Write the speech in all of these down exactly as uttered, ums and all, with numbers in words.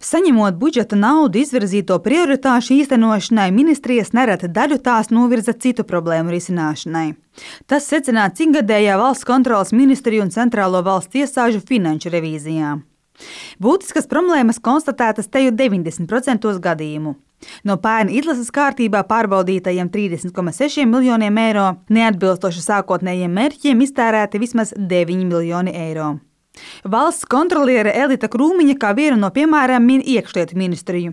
Saņemot budžeta naudu izvirzīto prioritāšu īstenošanai, ministrijas nereti daļu tās novirza citu problēmu risināšanai. Tas secināts ikgadējā valsts kontroles ministriju un centrālo valsts iestāžu finanšu revīzijā. Būtiskas problēmas konstatētas teju deviņdesmit procentos gadījumu. No pērn izlases kārtībā pārbaudītajiem trīsdesmit komats seši miljoniem eiro neatbilstoši sākotnējiem mērķiem iztērēti vismaz deviņi miljoni eiro. Valsts kontroliere Elita Krūmiņa kā vienu no piemēriem min iekšlietu ministriju.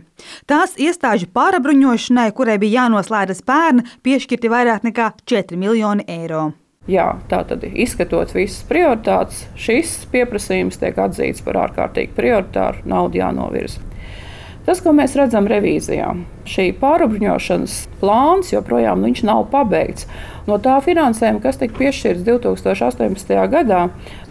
Tās iestāžu pārabruņošanai, kurai bija jānoslēdzas pērn, piešķirti vairāk nekā četri miljoni eiro. Jā, tātad izskatot visas prioritātes, šis pieprasījums tiek atzīts par ārkārtīgi prioritāru, naudu jānovirza. Tas, ko mēs redzam revīzijā, šī pārabruņošanas plāns joprojām viņš nav pabeigts. No tā finansējuma, kas tika piešķirts divi tūkstoši astoņpadsmitajā gadā,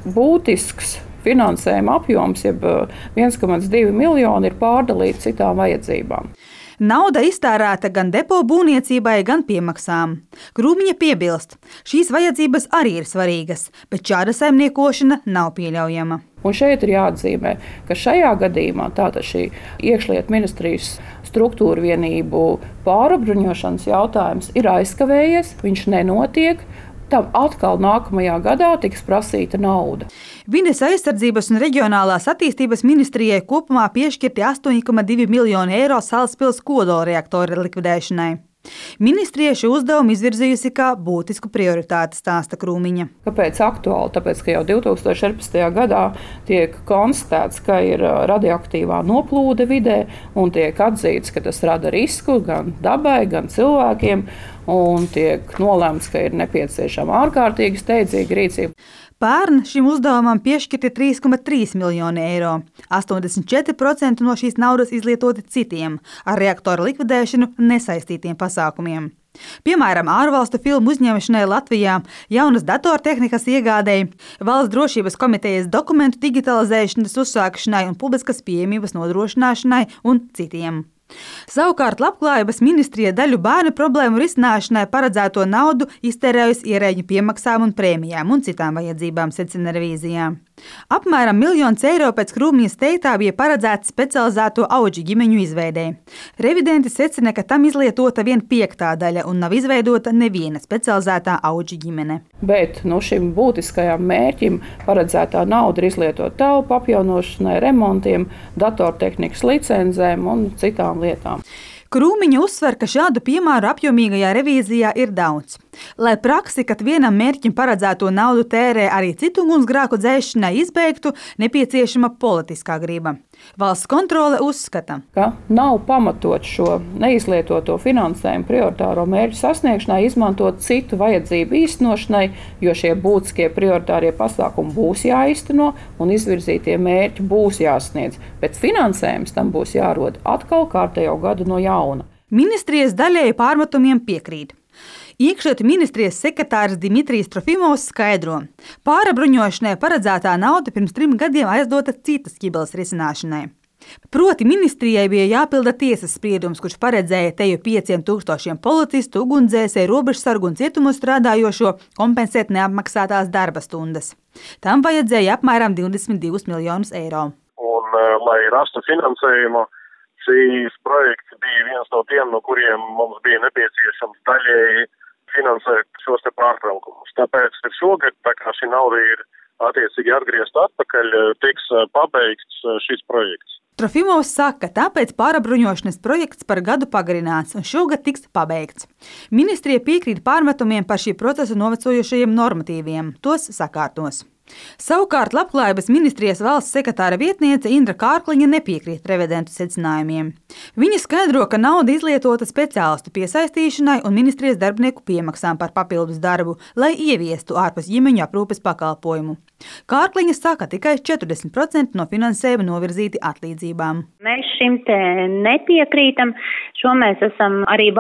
būtisks finansējuma apjoms, jeb viens komats divi miljoni, ir pārdalīts citām vajadzībām. Nauda iztērēta gan depo būvniecībai, gan piemaksām. Krūmiņa piebilst, šīs vajadzības arī ir svarīgas, bet šāda saimniekošana nav pieļaujama. Un šeit ir jāatzīmē, ka šajā gadījumā tātad šī iekšlietu ministrijas struktūra vienību pārabruņošanas jautājums ir aizkavējies, viņš nenotiek. Tam atkal nākamajā gadā tiks prasīta nauda. Vides aizsardzības un reģionālās attīstības ministrijai kopumā piešķirti astoņi komats divi miljoni eiro Salaspils kodolreaktora likvidēšanai. Ministrija šo uzdevumu izvirzījusi kā būtisku prioritāti, stāsta Krūmiņa. Kāpēc aktuāli? Tāpēc, ka jau divi tūkstoši četrpadsmitajā gadā tiek konstatēts, ka ir radioaktīvā noplūde vidē un tiek atzīts, ka tas rada risku gan dabai, gan cilvēkiem, un tiek nolēmts, ka ir nepieciešama ārkārtīgi steidzīga rīcība. Pērn šim uzdevumam piešķirti trīs komats trīs miljoni eiro. astoņdesmit četri procenti no šīs naudas izlietoti citiem, ar reaktoru likvidēšanu nesaistītiem pasākumiem. Piemēram, ārvalstu filmu uzņemšanai Latvijā, jaunas datortehnikas iegādēji, valsts drošības komitejas dokumentu digitalizēšanas uzsākšanai un publiskas pieejamības nodrošināšanai un citiem. Savukārt Labklājības ministrija daļu bērnu problēmu risināšanai paredzēto naudu iztērējusi ierēģu piemaksām un prēmijām un citām vajadzībām, secina revīzijā. Apmēram miljons eiro pēc Krūmiņas teiktā bija paredzēts specializēto auģu ģimeņu izveidei. Revidenti secina, ka tam izlietota vien piektā daļa un nav izveidota neviena specializētā auģu ģimene. Bet no šim būtiskajam mērķim paredzētā nauda ir izlietota telpu apjaunošanai, remontiem, datortehnikas licencēm un citām lietām. Krūmiņa uzsver, ka šādu piemēru apjomīgajā revīzijā ir daudz. Lai praksi, kad vienam mērķim paredzēto naudu tērē arī citu ugunsgrēku dzēšanai izbeigtu, nepieciešama politiskā griba. Valsts kontrole uzskata, ka nav pamatot šo neizlietoto finansējumu prioritāro mērķu sasniegšanai izmantot citu vajadzību īstenošanai, jo šie būtiskie prioritārie pasākumi būs jāīsteno un izvirzītie mērķi būs jāsniedz, bet finansējums tam būs jārod atkal kārtējo gadu no jauna. Ministrijas daļēji pārmetumiem piekrīt. Iekšlietu ministrijas sekretārs Dimitrijs Trofimovs skaidro, pārabruņošanai paredzētā nauda pirms trim gadiem aizdota citas ķibeles risināšanai. Proti ministrijai bija jāpilda tiesas spriedums, kurš paredzēja teju pieciem tūkstošiem policistu, ugunsdzēsēju, robežsargu un cietumos strādājošo kompensēt neapmaksātās darba stundas. Tam vajadzēja apmēram divdesmit divus miljonus eiro. Un, lai rastu finansējumu, šīs projekts bija viens no tiem, no kuriem mums bija nepieciešams daļēji finansēt šos te pārtraukumus. Tāpēc šogad, tā kā šī nauda ir attiecīgi atgriezta atpakaļ, tiks pabeigts šis projekts. Trofimovs saka, ka tāpēc pārabruņošanas projekts par gadu pagarināts un šogad tiks pabeigts. Ministrija piekrīt pārmetumiem par šī procesa novecojušajiem normatīviem, tos sakārtos. Savukārt Labklājības ministrijas valsts sekretāra vietniece Indra Kārkliņa nepiekrīt revidentu secinājumiem. Viņa skaidro, ka nauda izlietota speciālistu piesaistīšanai un ministrijas darbinieku piemaksām par papildus darbu, lai ieviestu ārpus ģimeņu aprūpes pakalpojumu. Kārkliņa saka, tikai četrdesmit procenti no finansējuma novirzīti atlīdzībām. Mēs šim te nepiekrītam, šo mēs esam arī